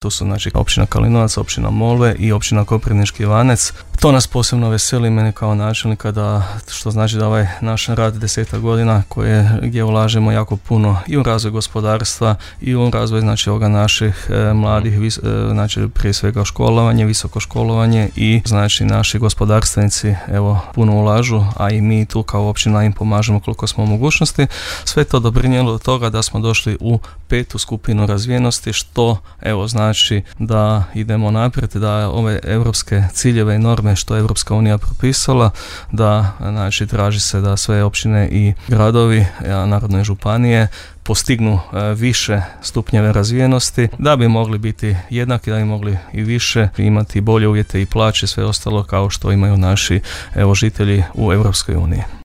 To su znači općina Kalinovac, općina Molve i općina Koprivnički Ivanec. To nas posebno veseli mene kao načelnika, što znači da ovaj naš rad 10 godina gdje ulažemo jako puno i u razvoj gospodarstva i u razvoj znači ovoga naših mladih, znači prije svega školovanje, visoko školovanje i znači naši gospodarstvenici evo puno ulažu, a i mi tu kao općina im pomažemo koliko smo u mogućnosti. Sve to doprinijelo do toga da smo došli u 5. skupinu razvijenosti, što evo znači da idemo naprijed, da ove europske ciljeve i norme što je Europska unija propisala, da znači traži se da sve općine i gradovi, narodne županije postignu više stupnjeve razvijenosti, da bi mogli biti jednaki, da bi mogli i više imati bolje uvjete i plaće, sve ostalo kao što imaju naši žitelji u Europskoj uniji.